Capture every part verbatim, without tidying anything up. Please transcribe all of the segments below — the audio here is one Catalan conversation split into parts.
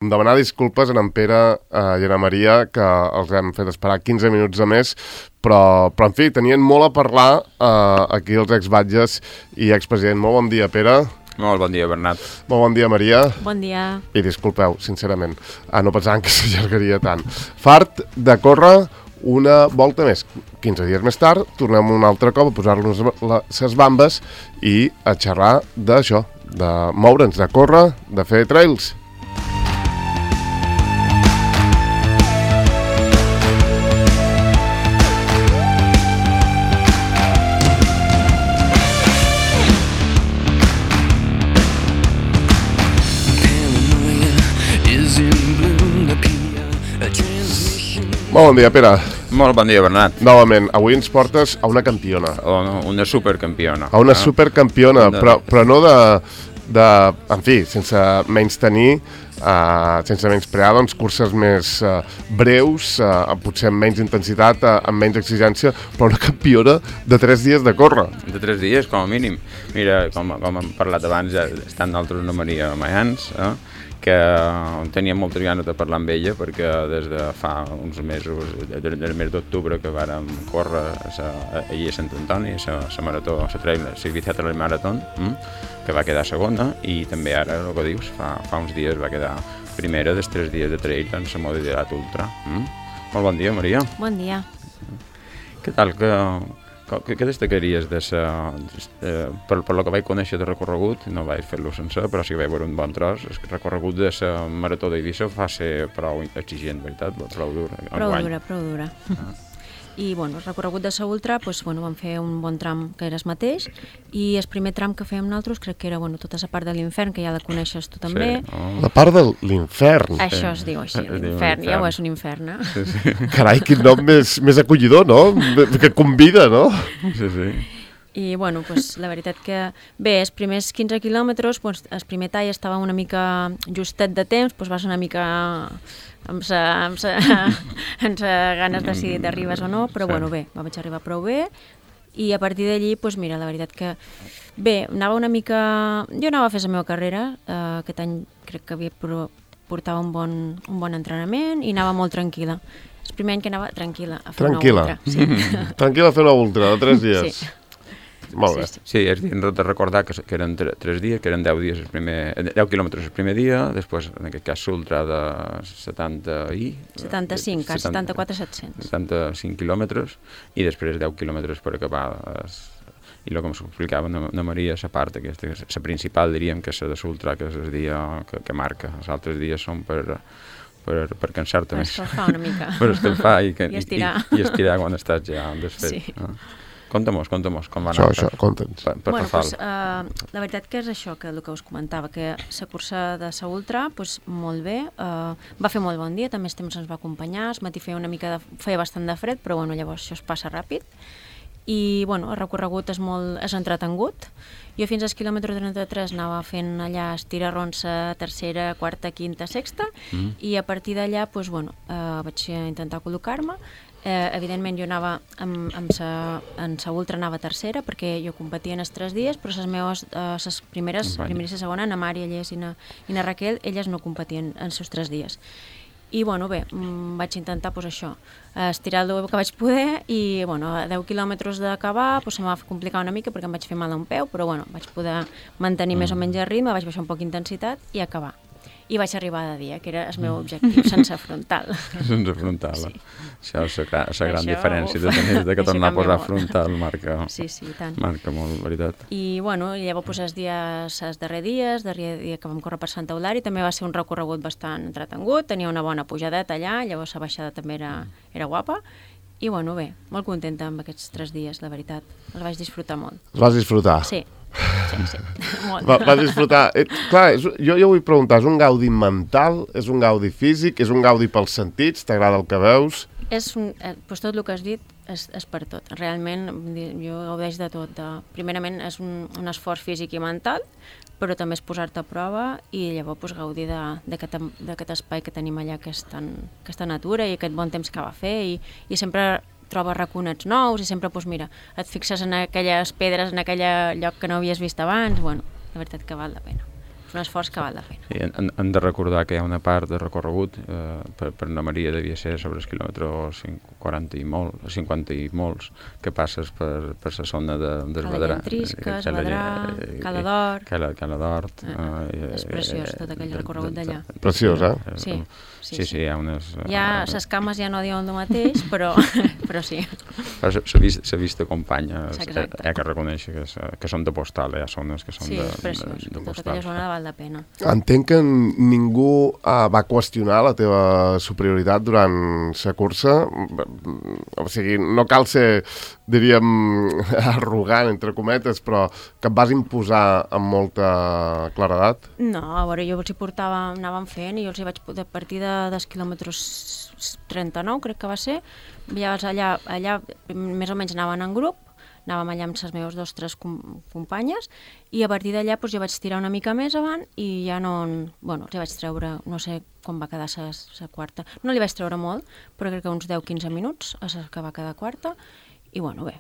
Demanar disculpes a en Pere eh, i a en Maria, que els hem fet esperar quinze minuts a més, però, però en fi, tenien molt a parlar eh, aquí els exbatges i expresident. Molt bon dia, Pere. Molt bon dia, Bernat. Molt bon dia, Maria. Bon dia. I disculpeu, sincerament, ah, no pensaven que s'allargaria tant. Fart de córrer una volta més. quinze dies més tard, tornem un altre cop a posar-nos les bambes i a xerrar d'això, de moure'ns, de córrer, de fer trails. Molt bon dia, Pere. Molt bon dia, Bernat. Novament, avui ens portes a una campiona. O no, una supercampiona. A una eh? supercampiona, De... però, però no de, de... En fi, sense menys tenir, uh, sense menys prear, doncs, curses més uh, breus, uh, potser amb menys intensitat, uh, amb menys exigència, però una campiona de tres dies de córrer. De tres dies, com a mínim. Mira, com, com hem parlat abans, ja estan d'altres una Maria Mayans, eh? que tenia moltes ganes de parlar amb ella perquè des de fa uns mesos, del mes d'octubre, que vàrem córrer allí a Sant Antoni, la marató, la trail, la Ibiza Trail Marathon, que va quedar segona, i també ara, el que dius, fa, fa uns dies va quedar primera dels tres dies de trail en la modalitat ultra. Mm? Molt bon dia, Maria. Bon dia. Què tal? Que, que, que destacaries de sa, de, per, per lo que vaig conèixer de recorregut? No vaig fer-lo sencer, però sí que vaig veure un bon tros. El recorregut de la marató d'Eivissa va ser prou exigent, veritat? Prou dur. Prou dura, prou dura. Ah. I bueno, el recorregut de la ultra, doncs, bueno, vam fer un bon tram que era el mateix, i el primer tram que fèiem nosaltres crec que era bueno, tota la part de l'infern, que ja la coneixes tu també. Sí. Oh. La part de l'infern. Això es diu així, l'infern, ja ho és un infern, eh? Sí, sí. Carai, quin nom més, més acollidor, no? Que convida, no? Sí, sí. I bueno, pues, la veritat que bé, els primers quinze quilòmetres, pues, el primer tall estava una mica justet de temps, pues, vas una mica amb sa, amb sa, amb sa ganes de si t'arribes o no, però sí. Bueno, bé, vaig arribar prou bé, i a partir d'allí, pues, mira, la veritat que bé, anava una mica... Jo anava a fer la meva carrera, eh, aquest any crec que havia portava un bon, un bon entrenament i anava molt tranquil·la. El primer any que anava tranquil·la a fer tranquil·la. una ultra. Sí. Tranquil·la a fer una ultra, de tres dies. Sí. Molt bé. Sí, sí, és de recordar que, que eren tres dies, que eren deu dies el primer, deu quilòmetres el primer dia, després, en aquest cas, l'ultra de setanta i... setanta-cinc, quasi setanta-quatre set-cents. setanta-cinc quilòmetres, i després deu quilòmetres per acabar. Es, I el que m'explicava na Maria, la part aquesta, la principal, diríem, que és la de l'ultra, que és el dia que, que marca. Els altres dies són per... per, per cansar-te per més. Per escalfar una mica. Per escalfar i, que, I estirar. I, i estirar quan estàs ja desfet. Sí. Ah. Conta-mos, conta-mos, com va anar. Això, això, conta'ns. Per, per bueno, Rafal. Pues, uh, la veritat que és això, que el que us comentava, que la cursa de la ultra, pues, molt bé, uh, va fer molt bon dia, també el temps ens va acompanyar, el matí feia una mica de, feia bastant de fred, però bueno, llavors això es passa ràpid, i bueno, el recorregut és molt és entretengut. Jo fins al quilòmetre trenta-tres anava fent allà estirarrons a tercera, quarta, quinta, sexta, mm. i a partir d'allà pues, bueno, uh, vaig intentar col·locar-me. Eh, evidentment jo anava amb, amb sa, en sa ultra anava tercera perquè jo competia en els tres dies, però les meves eh, les primeres, primera i la segona, na Mari, Allés i na, i na Raquel, elles no competien en els seus tres dies. I bueno, bé, vaig intentar pues, això, estirar el que vaig poder, i bueno, a deu quilòmetres d'acabar pues, se m'ha complicat una mica perquè em vaig fer mal a un peu, però bueno, vaig poder mantenir mm. més o menys el ritme, vaig baixar un poc d'intensitat i acabar. I vaig arribar de dia, que era el meu objectiu, sense frontal. Sense frontal, sí. Això és la, la gran això, diferència de tenir de que tornar a posar molt. Frontal, marca, sí, sí, tant. Marca molt, veritat. I bueno, llavors pues, els dies, els darrers dies, darrer dia que vam córrer per Santa Eulària, també va ser un recorregut bastant entretengut, tenia una bona pujadeta allà, llavors la baixada també era, era guapa, i bueno, bé, molt contenta amb aquests tres dies, la veritat. Els vaig disfrutar molt. Els vas disfrutar? Sí. Sí, sí, molt. Va, va disfrutar. Eh, clar, és, jo, jo vull preguntar, és un gaudi mental, és un gaudi físic, és un gaudi pels sentits, t'agrada el que veus? És un, eh, doncs tot el que has dit és, és per tot. Realment jo gaudeix de tot. De, primerament és un, un esforç físic i mental, però també és posar-te a prova i llavors pues, gaudir d'aquest espai que tenim allà, que és tan, aquesta natura i aquest bon temps que va fer, i, i sempre trobes raconets nous i sempre, doncs mira, et fixes en aquelles pedres, en aquell lloc que no havies vist abans, bueno, la veritat que val la pena. és un esforç que val la pena. I hem, hem de recordar que hi ha una part de recorregut, eh, per, per Anna Maria devia ser sobre el quilòmetre quaranta i molt, cinquanta i molts, que passes per, per la zona de, d'Esbadrà. Calentrisca, Esbadrà, Cala d'Hort. Cala, Cala d'Hort. Eh, eh, és preciós, tot aquell recorregut d'allà. Preciós, eh? Sí, sí, sí, sí, hi ha unes... Ja les cames ja no diuen el mateix, però, però sí. La vista, vista companya, hi ha que reconèixer que, que són de postal, hi ha zones que són sí, de, és preciós, de, de tota aquella zona val la pena. Entenc que ningú uh, va qüestionar la teva superioritat durant la cursa, o sigui, no cal ser, diríem, arrogant, entre cometes, però que et vas imposar amb molta claredat? No, a veure, jo els hi portava, anàvem fent i jo els hi vaig a partir de, dels quilòmetres trenta-nou, crec que va ser, ja allà, allà més o menys anaven en grup, anàvem allà amb les meves dos tres com, companyes i a partir d'allà doncs, ja vaig tirar una mica més avant i ja no... Bueno, ja vaig treure, no sé com va quedar la quarta. No li vaig treure molt, però crec que uns deu quinze minuts a la que va quedar quarta i bueno, bé.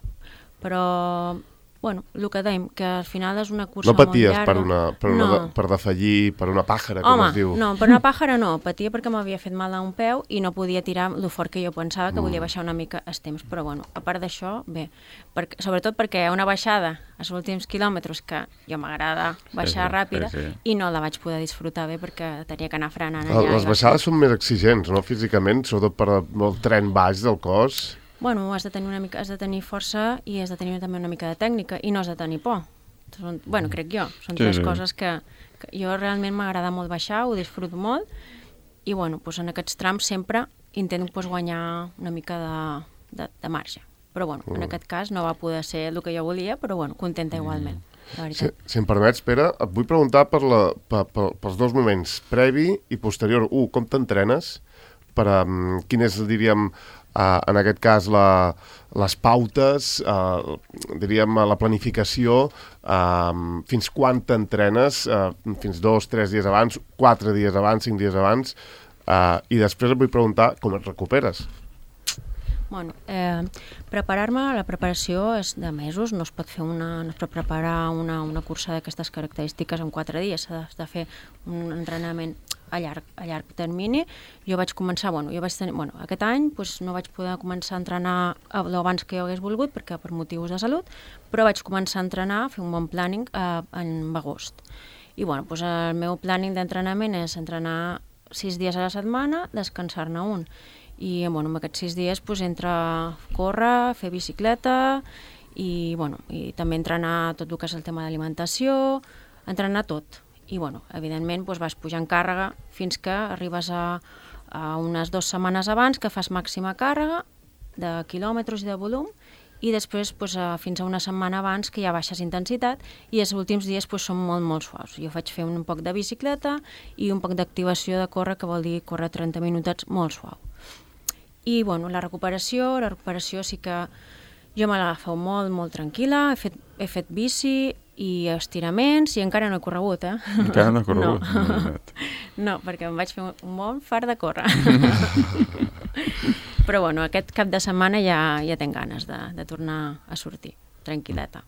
Però... Bueno, el que dèiem, que al final és una cursa molt llarga. No paties per, una, per, una, no. per defallir, per una pàjara, com Home, es diu? no, per una pàjara no. Patia perquè m'havia fet mal a un peu i no podia tirar el fort que jo pensava, que mm. volia baixar una mica els temps. Però bueno, a part d'això, bé. Perquè, sobretot perquè una baixada als últims quilòmetres, que jo m'agrada baixar sí, ràpida, sí, sí. I no la vaig poder disfrutar bé perquè tenia que anar frenant allà. Les baixades són més exigents, no?, físicament, sobretot per el tren baix del cos. Bueno, has de tenir una mica, has de tenir força i has de tenir també una mica de tècnica i no has de tenir por. Són, bueno, crec jo, són sí, tres sí. coses que, que jo realment m'agrada molt baixar, ho disfruto molt i bueno, doncs en aquests trams sempre intento doncs, guanyar una mica de, de, de marge. Però bueno, mm. en aquest cas no va poder ser el que jo volia, però bueno, contenta igualment. Si, si em permets, Pere, et vull preguntar per la, per, per, pels dos moments, previ i posterior. Un, com t'entrenes? Per, um, quin és, diríem, Uh, en aquest cas la, les pautes, uh, diríem la planificació, uh, fins quan t'entrenes, uh, fins dos, tres dies abans, quatre dies abans, cinc dies abans, uh, i després et vull preguntar com et recuperes. Bueno, eh, preparar-me, la preparació és de mesos, no es pot fer una, no es pot preparar una, una cursa d'aquestes característiques en quatre dies, s'ha de, de fer un entrenament a llarg, a llarg termini. Jo vaig començar, bueno, jo vaig tenir, bueno, aquest any doncs, no vaig poder començar a entrenar abans que jo hagués volgut, perquè per motius de salut, però vaig començar a entrenar, a fer un bon planning eh, en agost. I bueno, doncs el meu planning d'entrenament és entrenar sis dies a la setmana, descansar-ne un. I bueno, en aquests sis dies doncs, entre córrer, fer bicicleta i, bueno, i també entrenar tot el que és el tema d'alimentació, entrenar tot. I bueno, evidentment doncs, vas pujant càrrega fins que arribes a, a unes dues setmanes abans que fas màxima càrrega de quilòmetres i de volum i després doncs, a, fins a una setmana abans que ja baixes intensitat i els últims dies doncs, són molt molt suaus. Jo faig fer un poc de bicicleta i un poc d'activació de córrer, que vol dir córrer trenta minutets molt suau. I bueno, la recuperació, la recuperació sí que jo me l'agafo molt, molt tranquil·la, he fet, he fet bici i estiraments, i encara no he corregut, eh? Encara no he corregut? No, no perquè em vaig fer un bon fart de córrer. Però bueno, aquest cap de setmana ja, ja tinc ganes de, de tornar a sortir, tranquil·leta.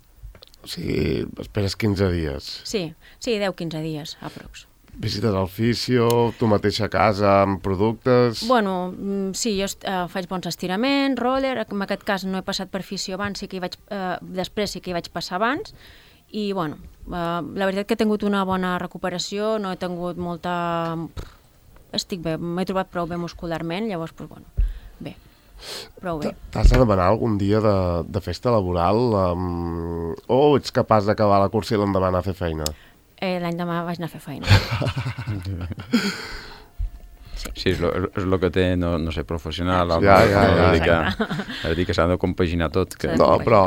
O sigui, esperes quinze dies. Sí, sí, deu quinze dies, aprox. Visites al fisio, tu mateixa a casa, amb productes... Bueno, sí, jo eh, faig bons estiraments, roller, en aquest cas no he passat per fisio abans, sí que hi vaig, eh, després sí que hi vaig passar abans, i bueno, eh, la veritat que he tingut una bona recuperació, no he tingut molta... Estic bé, m'he trobat prou bé muscularment, llavors, doncs, bueno, bé, prou bé. T'has de demanar algun dia de, de festa laboral um, o ets capaç d'acabar la cursa i l'endemà anar a fer feina? Eh, l'any demà vaig anar a fer feina. Sí, sí és el que té no, no ser professional. Ja, ja, ja. És a dir, que s'ha de compaginar tot. Que, no, però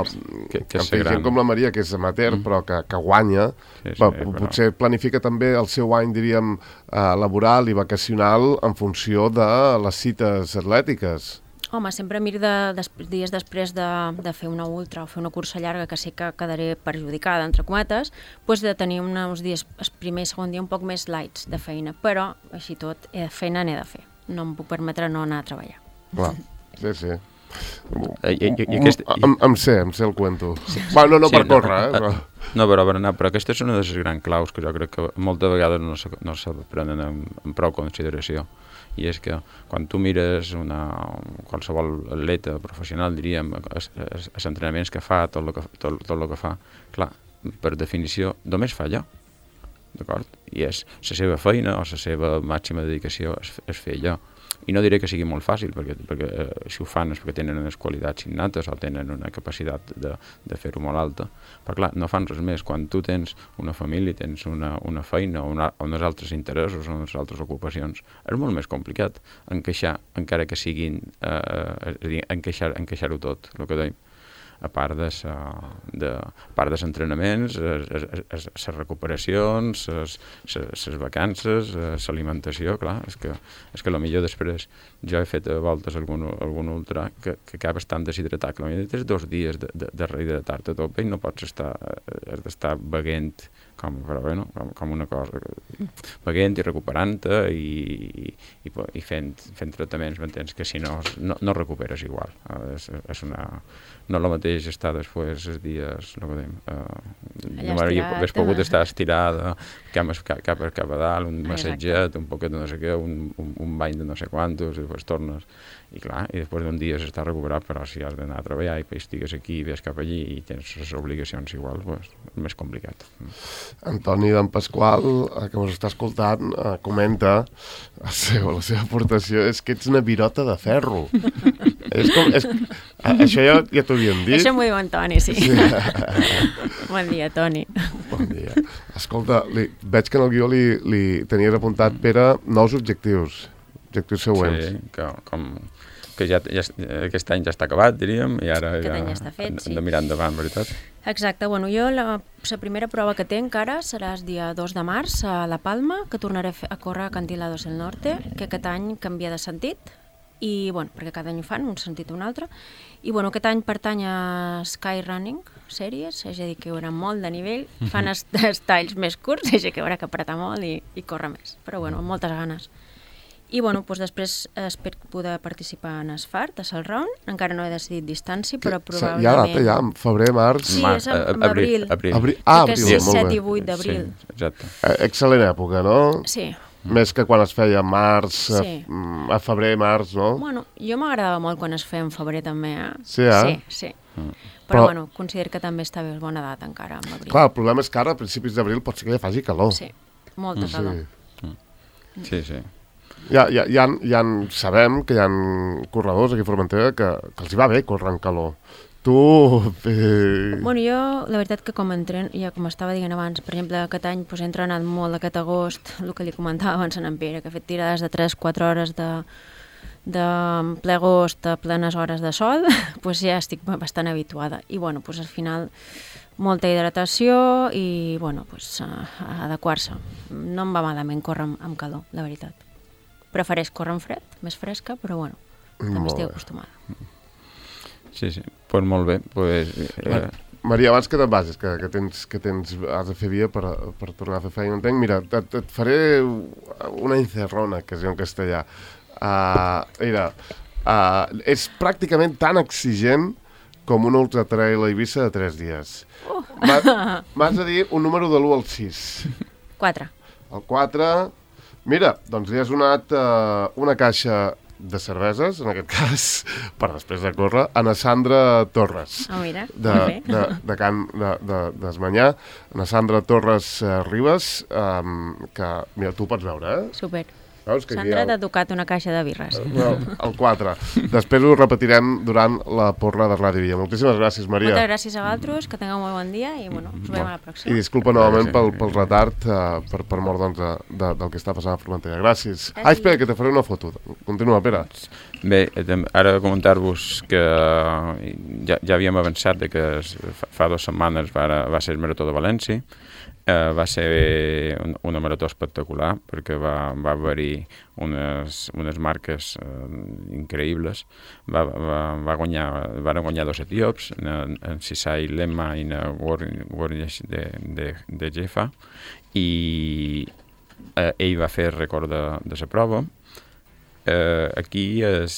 que, que que gent com la Maria, que és amateur, mm. però que, que guanya, sí, sí, però, potser planifica també el seu any, diríem, eh, laboral i vacacional en funció de les cites atlètiques. Home, sempre miro de, des, dies després de, de fer una ultra o fer una cursa llarga que sé que quedaré perjudicada, entre cometes, doncs de tenir uns dies, el primer i segon dia, un poc més lights de feina, però així tot, eh, feina n'he de fer. No em puc permetre no anar a treballar. Clar, sí, sí. I, i, i aquest... em, em sé, em sé el cuento. Sí. Bueno, no, no sí, per córrer, eh? Però... No, però, però, no, però aquesta és una de les grans claus que jo crec que moltes vegades no se, no se prenen en, en prou consideració. I és que quan tu mires una, qualsevol atleta professional, diríem, els, els, els entrenaments que fa, tot el que, tot, tot el que fa, clar, per definició, només fa allò, d'acord? I és la seva feina o la seva màxima dedicació és, és fer allò. I no diré que sigui molt fàcil, perquè, perquè eh, si ho fan és perquè tenen unes qualitats innates o tenen una capacitat de, de fer-ho molt alta. Però clar, no fan res més. Quan tu tens una família, tens una, una feina o una, uns altres interessos o unes altres ocupacions, és molt més complicat encaixar, encara que siguin, eh, és a dir, encaixar, encaixar-ho tot, el que deim. A part de sa, de, a part dels entrenaments, les recuperacions, les vacances, l'alimentació, clar, és que, és que potser després jo he fet a voltes algun, algun ultra que, que acaba estant deshidratat, que potser tens dos dies de, de, de rehidratar-te a tope i no pots estar, has d'estar beguent com, però, bueno, com, com una cosa, beguent i recuperant-te i, i, i fent, fent tractaments, m'entens, que si no, no, no recuperes igual. És, és una... No el mateix estar després els dies, no podem, uh, no m'hauria pogut estar estirada, cap, cap, cap, cap a dalt, un massatget, un poquet de no sé què, un, un, un bany de no sé quantos, i després tornes. I clar, i després d'un dia s'està recuperat, però si has d'anar a treballar i estigues aquí, ves cap allí i tens les obligacions igual, doncs, és més complicat. Antoni d'en Pasqual, eh, que ens està escoltant, eh, comenta la seva, la seva aportació és que ets una virota de ferro. És com, és, això ja, ja t'ho havíem dit. Això m'ho diu en Toni, sí. sí. Bon dia, Toni. Bon dia. Escolta, li, veig que en el guió li, li tenies apuntat, Pere, nous objectius, objectius següents. Sí, que, com, que ja, ja, aquest any ja està acabat, diríem, i ara aquest ja, ja està fet, hem, sí. hem de mirar endavant, veritat? Exacte, bueno, jo la, la primera prova que tinc encara serà el dia dos de març a La Palma, que tornaré a, fer, a córrer a Acantilados del Norte, que aquest any canvia de sentit, i, bueno, perquè cada any ho fan, un sentit o un altre, i bueno, aquest any pertany a Sky Running Series, és a dir, que hi haurà molt de nivell, fan els, els talls més curts, és a dir, que hi haurà que apretar molt i, i córrer més, però bueno, amb moltes ganes. I bueno, doncs després espero poder participar en Asfart, a Salround, encara no he decidit distància, però probablement... Hi ha data ja, en febrer, març... Sí, és en, en abril. abril. abril. Ah, abril, molt bé. set i vuit d'abril. Sí, exacte. Eh, excel·lent època, no? Sí. Més que quan es feia març, Sí. a, a febrer, març, no? Bueno, jo m'agradava molt quan es feia en febrer també, eh? Sí, eh? Sí, sí. Mm. Però, Però, bueno, considero que també està bé bona data encara, en abril. Clar, el problema és que ara, a principis d'abril, pot ser que ja faci calor. Sí, molta calor. Sí, sí. sí. Ja, ja, ja, ja sabem que hi ha corredors aquí a Formentera que, que els hi va bé córrer en calor. Tu... Eh... Bueno, jo, la veritat que com entren, ja com estava dient abans, per exemple, aquest any pues, he entrenat molt aquest agost, el que li comentava abans en Pere, que he fet tirades de tres quatre hores de, de ple agost a plenes hores de sol, pues ja estic bastant habituada. I bueno, pues, al final molta hidratació i bueno, pues, uh, adequar-se. No em va malament córrer amb, amb calor, la veritat. Prefereix córrer en fred, més fresca, però bueno, també estic acostumada. Sí, sí, doncs pues molt bé. Pues, eh... Maria, abans que te'n vagis, que, que, tens, que tens, has de fer via per, per tornar a fer feina, entenc, mira, et, et faré una encerrona, que es diu en castellà. Uh, mira, uh, és pràcticament tan exigent com un ultra trail a Eivissa de tres dies. Uh. M'has de dir un número de l'u al sis. quatre. El quatre... Mira, doncs li has donat uh, una caixa de cerveses, en aquest cas, per després de córrer, a na Sandra Torres. Oh, mira, de, molt bé. De, de Can de, de, d'Esmanyà. Na Sandra Torres uh, Ribes, um, que, mira, tu pots veure, eh? Super. Veus que Sandra el... t'ha tocat una caixa de birres. El, el quatre. Després ho repetirem durant la porra de Ràdio Villa. Moltíssimes gràcies, Maria. Moltes gràcies a vosaltres, que tingueu molt bon dia i bueno, ens veiem a la pròxima. I disculpa novament pel, pel retard, uh, per, per mort doncs, de, de, del que està passant a Formentera. Gràcies. Gràcies. Ah, espera, que te faré una foto. Continua, Pere. Bé, ara comentar-vos que ja, ja havíem avançat de que fa, fa dues setmanes va, va ser el Marató de València. Uh, va ser un, una marató espectacular perquè va, va haver-hi unes, unes marques uh, increïbles. Va, va, va guanyar, van guanyar dos etíops, en, en Sisai Lema i en Gornish de, de, de Jefa, i uh, ell va fer el rècord de, de la prova. Uh, aquí és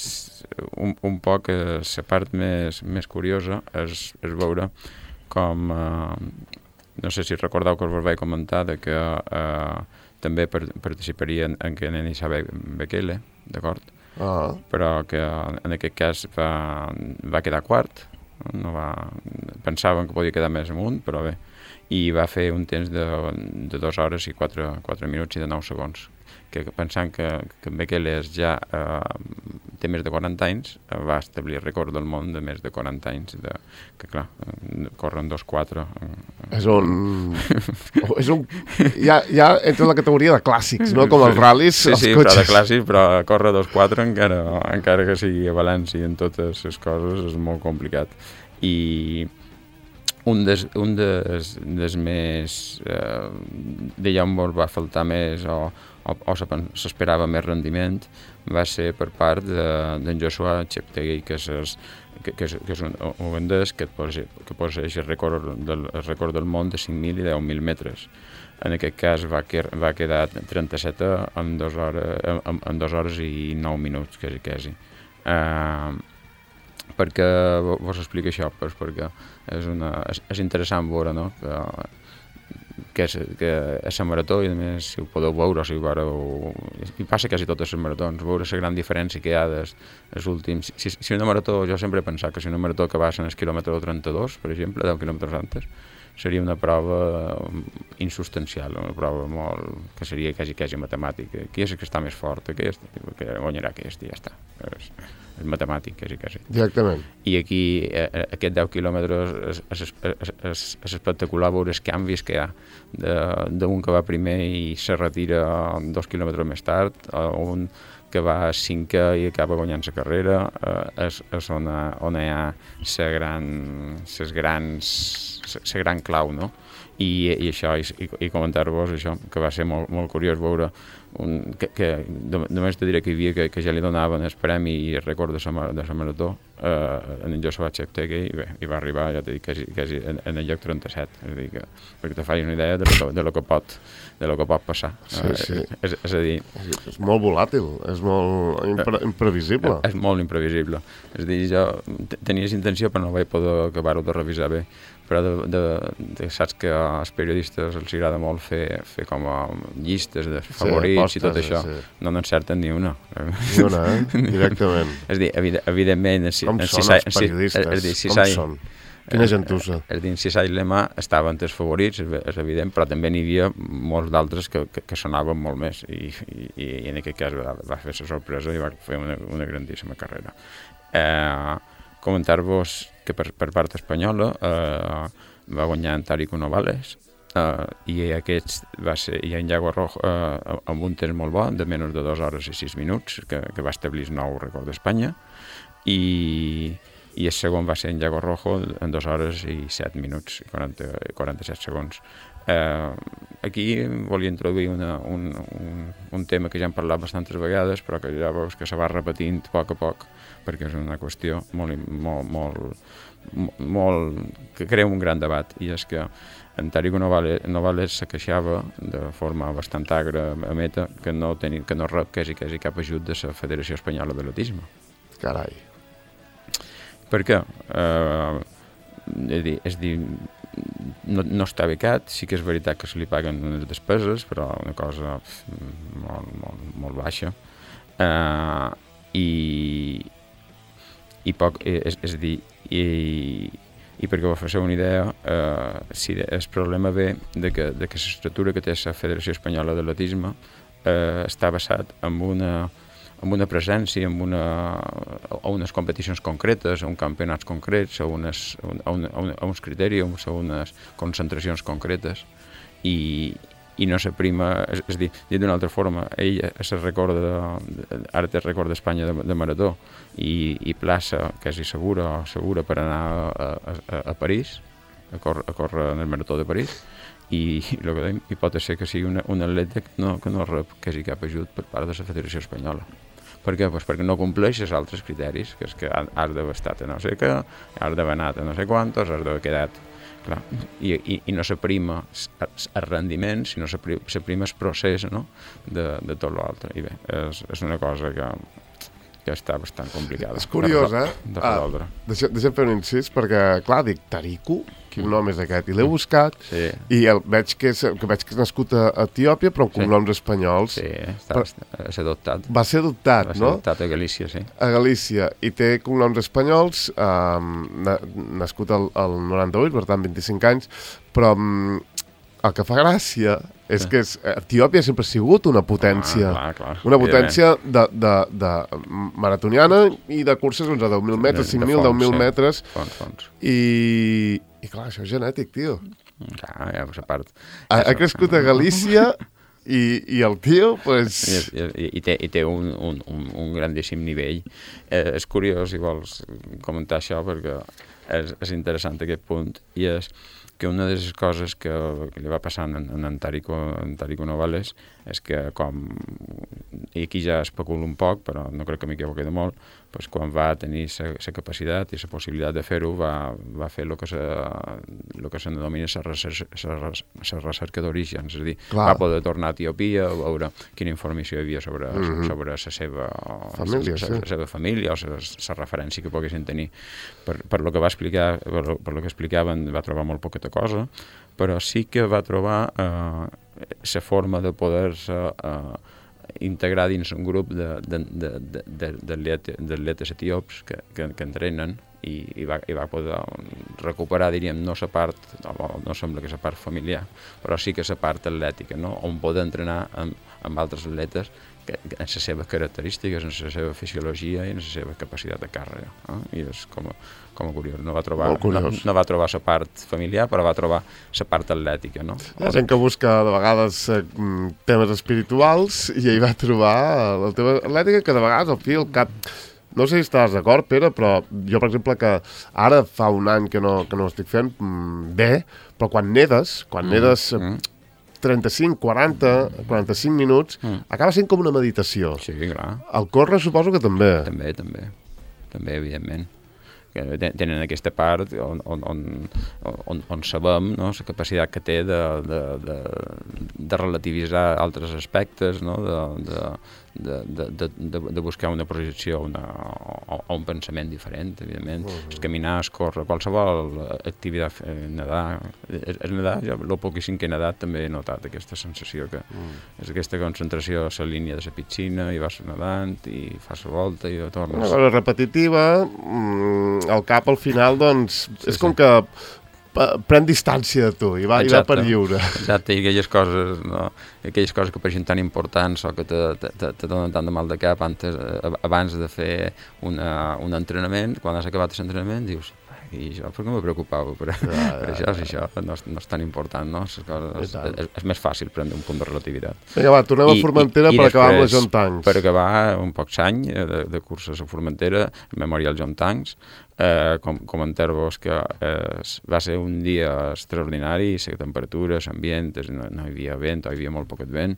un, un poc la part més, més curiosa és, és veure com uh, no sé si recordeu que us vaig comentar de que eh, també participaria en, en que Kenenisa Bekele, d'acord? Ah. Però que en aquest cas va, va quedar quart, no va, pensaven que podia quedar més amunt, però bé, i va fer un temps de, de dues hores i quatre, quatre minuts i de nou segons, que pensant que, que Bekele ja eh, té més de quaranta anys, eh, va establir el rècord del món de més de quaranta anys, de, que clar, corren dos quatre. És un... és un ja, ja entra la categoria de clàssics, no? Com els ral·lis, sí, els sí, cotxes. Sí, però de clàssics, però córrer dos quatre encara, encara que sigui a València en totes les coses és molt complicat. I un des, un des, des més eh, d'allà on va faltar més o, o, o s'esperava més rendiment va ser per part d'en de, Joshua Cheptegei, que és, que, que és, que és un ugandès que, que posseix el rècord del, el rècord del món de cinc mil i deu mil metres. En aquest cas va, que, va quedar trenta-set en dues hores, en, en dues hores i nou minuts, quasi, quasi. Uh, per què vos explico això? Pues perquè és, una, és, és interessant veure, no? que, que, és, que és la marató i a més si ho podeu veure, si ho veureu, i passa quasi totes les maratons, veure la gran diferència que hi ha des, des últims. Si, si una marató, jo sempre he pensat que si una marató que va en el quilòmetre trenta-dos, per exemple, deu quilòmetres antes, seria una prova insustancial, una prova molt, que seria quasi, quasi matemàtica. Qui és que està més fort? Aquest? Que guanyarà aquest i ja està. És, és matemàtic, quasi, quasi. Directament. I aquí, eh, aquests deu quilòmetres, és, és, és, és, és espectacular veure els canvis que hi ha d'un que va primer i se retira dos quilòmetres més tard, a un que va cinquè i acaba guanyant la carrera, eh, és, és on, on hi ha la gran, les grans, la gran clau, no? I, i això, i, i comentar-vos això, que va ser molt, molt curiós veure un, que, que només te diré que hi havia que, que ja li donaven el premi i el rècord de la marató eh, en Joshua Cheptegei i bé, i va arribar, ja t'he dit, quasi, quasi en, en el lloc trenta-set, és a dir, que, perquè te facis una idea de lo, de lo, que, pot, de lo que pot passar. Sí, sí. Eh, és, és a dir... És molt volàtil, és molt impre, imprevisible. És, és molt imprevisible. És a dir, jo tenia intenció però no vaig poder acabar-ho de revisar bé, però de, de, de, saps que als periodistes els agrada molt fer, fer com a llistes de favorits, sí, apostes, i tot això, sí. No n'encerten ni una. Ni una, eh? Directament. És a dir, evidentment... Com si són els periodistes? És dir, si com són? Quina gentussa. És a dir, si Sai Lema estaven els favorits, és evident, però també n'hi havia molts d'altres que, que, que sonaven molt més i, i, i en aquest cas va, va fer la sorpresa i va fer una, una grandíssima carrera. Eh, comentar-vos que per, per part espanyola eh, va guanyar en Tarico Novales eh, i aquest va ser i en Yago Rojo eh, amb un temps molt bo de menys de dues hores i sis minuts que, que va establir el nou rècord d'Espanya i, i el segon va ser en Yago Rojo en dues hores i set minuts i quaranta, quaranta-set segons. Eh, aquí volia introduir una, un, un, un tema que ja hem parlat bastantes vegades però que ja veus que se va repetint a poc a poc perquè és una qüestió molt, molt, molt, molt que crea un gran debat i és que en Tarico Novales, Novales se queixava de forma bastant agra a Meta que no, teni, que no rep quasi, quasi cap ajut de la Federació Espanyola d'Atletisme. Carai. Per què? Eh, és dir, és dir no, no està becat, sí que és veritat que se li paguen unes despeses, però una cosa molt, molt, molt baixa. Eh, i, i poc, és, és a dir, i, i perquè vos faceu una idea, eh, si el problema ve de que, de que l'estructura que té la Federació Espanyola d'Atletisme eh, està basat en una amb una presència, amb una, a unes competicions concretes, a uns campionats concrets, a, unes, a, un, a, un, a uns criteris, a unes concentracions concretes, i, i no s'aprima, és, és dir, dit d'una altra forma, ell se recorda, ara té record d'Espanya de, de marató, i, i plaça quasi segura, segura per anar a, a, a París, a córrer, a córrer en el marató de París, i, i, que deim, i pot ser que sigui una, un atleta que no, que no rep quasi cap ajut per part de la Federació Espanyola. Per què? Pues perquè no compleix els altres criteris, que és que has d'haver estat a no sé què, has d'haver anat a no sé quantos, has d'haver quedat... Clar, i, i, i no s'aprima el rendiment, sinó s'aprima el procés, no? de, de tot l'altre. I bé, és, és una cosa que, que està bastant complicada. És curiós, eh? De resoldre. Ah, deixa, deixa'm fer un incís, perquè, clar, dic, Tariku, quin nom és aquest? I l'he buscat, sí. i el, veig, que és, que veig que és nascut a Etiòpia, però amb sí. cognoms espanyols. Sí, està, però, va ser adoptat. Va ser adoptat, va ser no? adoptat a Galícia, sí. A Galícia, i té cognoms espanyols, um, na, nascut al, al noranta-vuit, per tant, vint-i-cinc anys, però um, el que fa gràcia és sí. que és, Etiòpia sempre ha sigut una potència, ah, clar, clar. una potència de, de, de maratoniana i de curses doncs, a deu mil metres, cinc mil, deu mil sí. metres. Fons, fons. I, I clar, això és genètic, tio. Clar, ja, pues a part... Ha, ha crescut a Galícia i, i el tio, pues... I, i, i té, i té un, un, un, un grandíssim nivell. Eh, és curiós, si vols comentar això, perquè és, és interessant aquest punt, i és que una de les coses que, que li va passar en, en, en Tarico, en Tarico Novales és que com, i aquí ja especulo un poc, però no crec que m'equivoqui de molt, doncs quan va tenir la capacitat i la possibilitat de fer-ho, va, va fer el que se, lo que se denomina la recerca, recerca d'origen, és a dir, Clar. va poder tornar a Etiòpia, a veure quina informació hi havia sobre, mm-hmm. sobre la seva família, la, sí. la seva família o la referència que poguessin tenir. Per, per lo que va explicar, per, per lo que explicaven, va trobar molt poqueta cosa, però sí que va trobar la eh, forma de poder-se eh, integrar dins un grup d'atletes etíops que, que, que entrenen i, i, va, i va poder recuperar, diríem, no la part, no, no sembla que la part familiar, però sí que la part atlètica, no? On poder entrenar amb, amb altres atletes que, que en les seves característiques, en la seva fisiologia i en la seva capacitat de càrrega. Eh? I és com a, com a curiós. No va trobar, no, no va trobar la part familiar, però va trobar la part atlètica. No? Hi ha gent que busca de vegades eh, temes espirituals i ell va trobar el tema atlètica que de vegades al fi al cap... No sé si estàs d'acord, Pere, però jo, per exemple, que ara fa un any que no, que no estic fent bé, però quan nedes, quan mm, nedes mm. trenta-cinc, quaranta, quaranta-cinc minuts, mm. acaba sent com una meditació. Sí, clar. El córrer suposo que també. També, també. També, evidentment. Que tenen aquesta part on, on, on, on, on sabem, no?, la capacitat que té de, de, de, de relativitzar altres aspectes, no?, de, de, de, de, de, de buscar una projecció una, o, o un pensament diferent, evidentment. Uh-huh. Es caminar, es córrer, qualsevol activitat, eh, nedar. És, és nedar, jo el poquíssim que he nedat també he notat aquesta sensació que uh-huh. és aquesta concentració a la línia de la piscina i vas nedant i fas la volta i tornes. Una cosa repetitiva, mm, al cap al final, doncs, sí, és com sí. que pren distància de tu i va, i va per lliure. Exacte, i aquelles coses, no? Aquelles coses que pareixen tan importants o que te, te, te, te donen tant de mal de cap antes, abans de fer una, un entrenament, quan has acabat l'entrenament dius, i jo, per què me preocupava per, ja, ja, per això, si això no és, no és tan important, no? Les coses, és, és més fàcil prendre un punt de relativitat. Vinga, va, tornem I, a Formentera i, per i acabar amb la John Tanks. Per acabar un poc any de, de curses a Formentera, Memorial John Tanks, eh, com, comentar-vos que eh, va ser un dia extraordinari, la temperatura, l'ambient, no, no hi havia vent, hi havia molt poquet vent,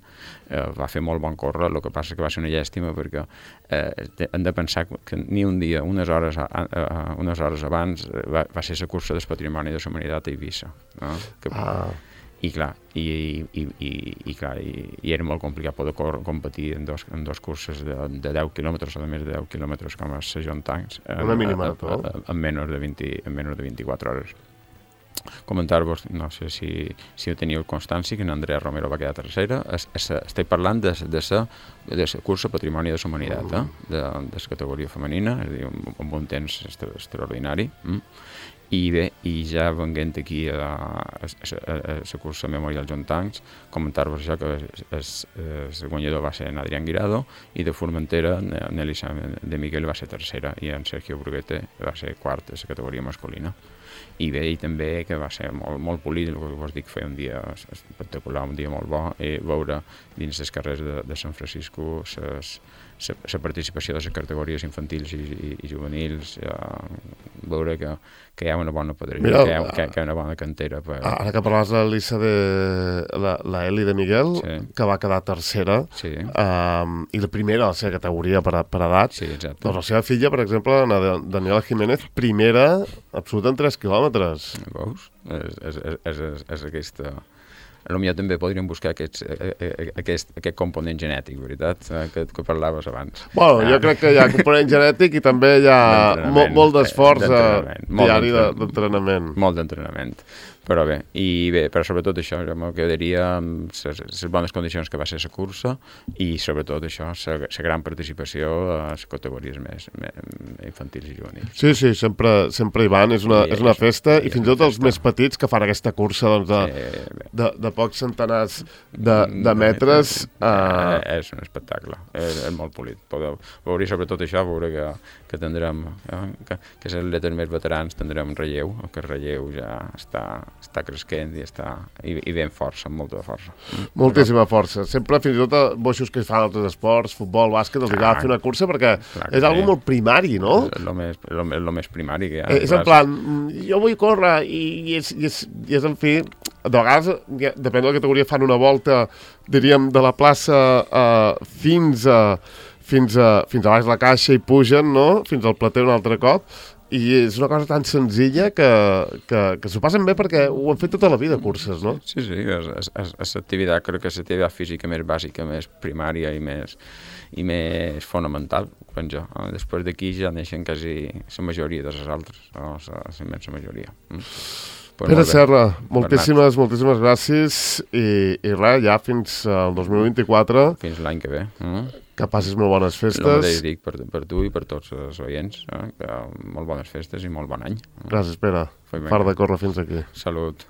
eh, va fer molt bon córrer, el que passa que va ser una llàstima perquè eh, hem de pensar que ni un dia, unes hores, a, a, unes hores abans, va, va ser la cursa del Patrimoni de la Humanitat a Eivissa. No? Que, ah. I clar, i, i, i, i, clar i, i era molt complicat poder cor, competir en dos, en dos curses de, de deu quilòmetres o de més de deu quilòmetres com a la John Tanks en, una minimarató en menys de vint, en menys de vint-i-quatre hores. Comentar-vos, no sé si, si ho teniu constància, que en Andrea Romero va quedar tercera. Es, es, estic parlant de la de la cursa Patrimoni de la Humanitat, eh? de, de la categoria femenina, és a dir, amb un temps extraordinari. Mm? I bé, i ja venguent aquí a la cursa Memorial John Tanks, comentar-vos això que el guanyador va ser en Adrián Guirado i de Formentera, Nelly de Miguel va ser tercera i en Sergio Bruguete va ser quart de la categoria masculina. I bé, i també que va ser molt, molt polit, el que vos dic, fer un dia espectacular, un dia molt bo, i veure dins les carrers de, de San Francisco la participació de les categories infantils i, i, i juvenils, eh, veure que, que hi ha una bona padrina, Mira, que, hi ha, que, que hi ha una bona cantera. Per... Ara que parlaves de l'Elisa de la, la Eli de Miguel, sí. que va quedar tercera, sí. um, i la primera a la seva categoria per, per edat, sí, exacte. Doncs la seva filla, per exemple, Daniela Jiménez, primera absoluta en tres quilòmetres. Veus? És, és, és, és, és aquesta... potser també podríem buscar aquests, aquest, aquest component genètic, veritat, que, que parlaves abans. Bueno, jo crec que hi ha component genètic i també hi ha molt, molt d'esforç diari d'entrenament. Molt d'entrenament. Però bé, i bé, però sobretot això, jo me quedaria amb les bones condicions que va ser la cursa i sobretot això, la gran participació a les categories més, més infantils i juvenils. Sí, sí, sempre, sempre hi van, és una, sí, és una festa, i fins i tot els més petits que fan aquesta cursa doncs, de, sí, de, de pocs centenars de, de metres. Uh... És un espectacle, és, és molt polit. Podeu veure sobretot això, veure que, que tindrem, eh, que, que els atletes més veterans tindrem relleu, que el relleu ja està està cresquent i està i, i ben força, amb molta força. Moltíssima força. Sempre, fins i tot, a boixos que fan altres esports, futbol, bàsquet, els agrada fer una cursa perquè clar, és algo molt primari, no? És el més, lo, lo més primari que hi ha. Eh, és en plan, jo vull córrer i, i, és, i, és, i és, en fi, de vegades, depèn de la categoria, fan una volta, diríem, de la plaça uh, fins a fins a, fins a baix la caixa i pugen, no? Fins al plater un altre cop. I és una cosa tan senzilla que, que, que s'ho passen bé perquè ho han fet tota la vida, curses, no? Sí, sí, és l'activitat, crec que és l'activitat física més bàsica, més primària i més, i més fonamental, penso. Després d'aquí ja neixen quasi la majoria de les altres, no? La immensa majoria. Pues Pere Serra, moltíssimes, moltíssimes gràcies i, i res, ja fins al dos mil vint-i-quatre. Fins l'any que ve. Mm? Que passis molt bones festes. El mateix dic per, per tu i per tots els oients, eh? Que molt bones festes i molt bon any. Gràcies, Pere. Fart de córrer fins aquí. Salut.